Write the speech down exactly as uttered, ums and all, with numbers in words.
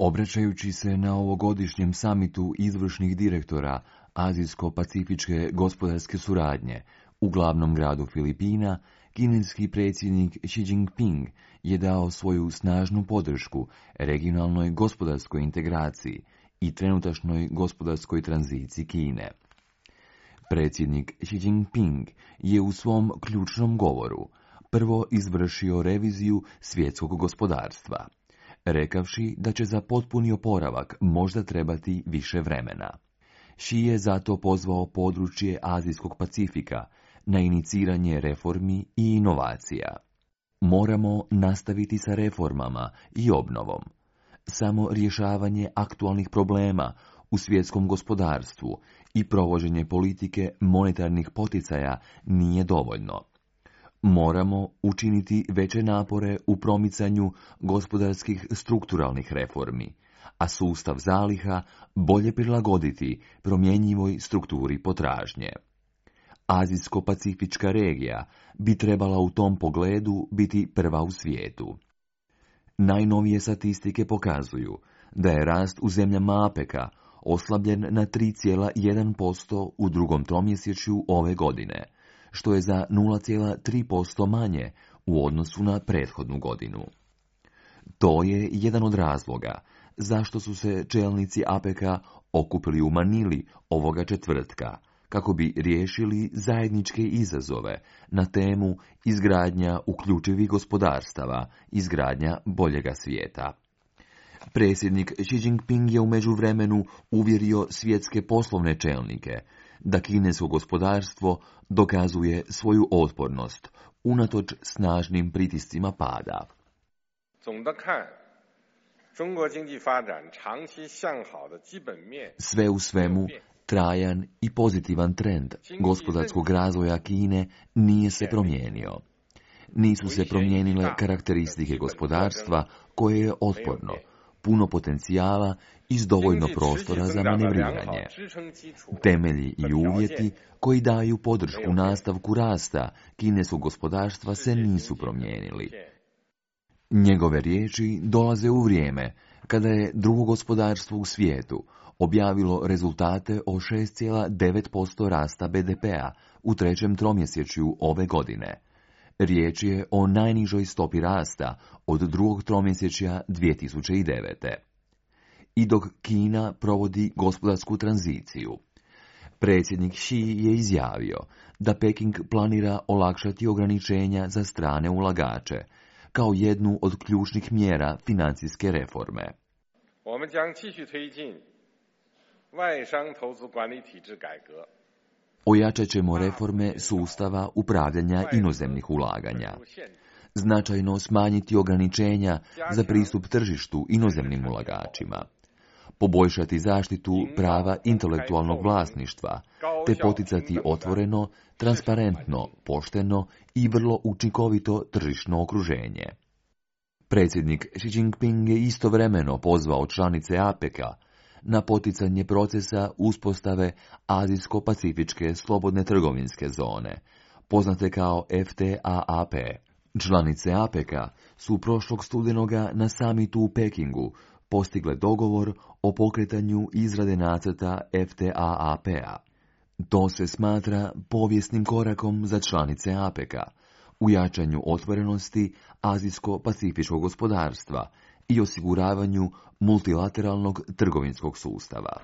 Obraćajući se na ovogodišnjem samitu izvršnih direktora Azijsko-pacifičke gospodarske suradnje u glavnom gradu Filipina, kineski predsjednik Xi Jinping je dao svoju snažnu podršku regionalnoj gospodarskoj integraciji i trenutačnoj gospodarskoj tranziciji Kine. Predsjednik Xi Jinping je u svom ključnom govoru prvo izvršio reviziju svjetskog gospodarstva, rekavši da će za potpuni oporavak možda trebati više vremena. Xi je zato pozvao područje Azijskog Pacifika na iniciranje reformi i inovacija. Moramo nastaviti sa reformama i obnovom. Samo rješavanje aktualnih problema u svjetskom gospodarstvu i provođenje politike monetarnih poticaja nije dovoljno. Moramo učiniti veće napore u promicanju gospodarskih strukturalnih reformi, a sustav zaliha bolje prilagoditi promjenjivoj strukturi potražnje. Azijsko-pacifička regija bi trebala u tom pogledu biti prva u svijetu. Najnovije statistike pokazuju da je rast u zemljama APEC-a oslabljen na tri zarez jedan posto u drugom tromjesečju ove godine, što je za nula zarez tri posto manje u odnosu na prethodnu godinu. To je jedan od razloga zašto su se čelnici APEC-a okupili u Manili ovoga četvrtka, kako bi riješili zajedničke izazove na temu izgradnja uključivih gospodarstava, izgradnja boljega svijeta. Predsjednik Xi Jinping je u međuvremenu uvjerio svjetske poslovne čelnike da kinesko gospodarstvo dokazuje svoju otpornost unatoč snažnim pritiscima pada. Sve u svemu, trajan i pozitivan trend gospodarskog razvoja Kine nije se promijenio. Nisu se promijenile karakteristike gospodarstva koje je otporno, puno potencijala i s dovoljno prostora za manevriranje. Temelji i uvjeti koji daju podršku nastavku rasta kineskog gospodarstva se nisu promijenili. Njegove riječi dolaze u vrijeme kada je drugo gospodarstvo u svijetu objavilo rezultate o šest zarez devet posto rasta be de pea u trećem tromjesečju ove godine. Riječ je o najnižoj stopi rasta od drugog tromjesečja dvije tisuće devete. I dok Kina provodi gospodarsku tranziciju, predsjednik Xi je izjavio da Peking planira olakšati ograničenja za strane ulagače, kao jednu od ključnih mjera financijske reforme. Ojačat ćemo reforme sustava upravljanja inozemnih ulaganja, značajno smanjiti ograničenja za pristup tržištu inozemnim ulagačima, poboljšati zaštitu prava intelektualnog vlasništva, te poticati otvoreno, transparentno, pošteno i vrlo učinkovito tržišno okruženje. Predsjednik Xi Jinping je istovremeno pozvao članice APEC-a na poticanje procesa uspostave Azijsko-pacifičke slobodne trgovinske zone, poznate kao F T A A P. Članice APEC-a su prošlog studenoga na samitu u Pekingu postigle dogovor o pokretanju izrade nacrta F T A A P-a. To se smatra povijesnim korakom za članice APEC-a u jačanju otvorenosti azijsko-pacifičkog gospodarstva i osiguravanju multilateralnog trgovinskog sustava.